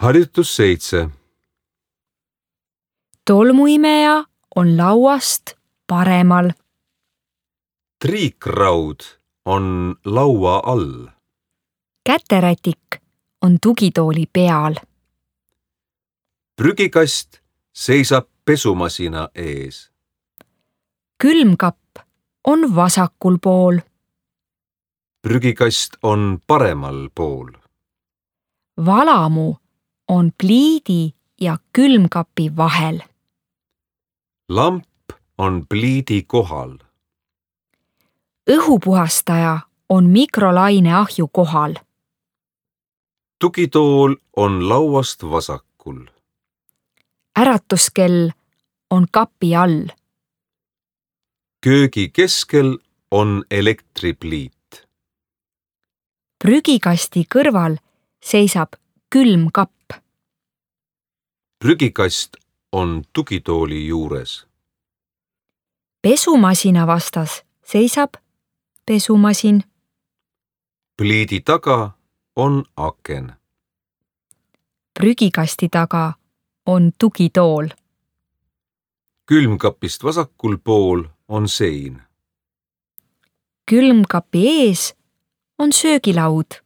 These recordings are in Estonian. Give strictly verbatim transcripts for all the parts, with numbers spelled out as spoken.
Harjutus seitse. Tolmuimeja on lauast paremal. Triikraud on laua all. Käterätik on tugitooli peal. Prügikast seisab pesumasina ees. Külmkapp on vasakul pool. Prügikast on paremal pool. Valamu on pliidi ja külmkapi vahel. Lamp on pliidi kohal. Õhupuhastaja on mikrolaineahju kohal. Tugitool on lauast vasakul. Äratuskell on kapi all. Köögi keskel on elektripliit. Prügikasti kõrval seisab külmkapp. Prügikast on tugitooli juures. Pesumasina vastas seisab pesumasin. Pliidi taga on aken. Prügikasti taga on tugitool. Külmkapist vasakul pool on sein. Külmkapi ees on söögilaud.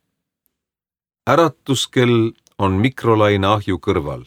Äratuskell on mikrolaineahju kõrval.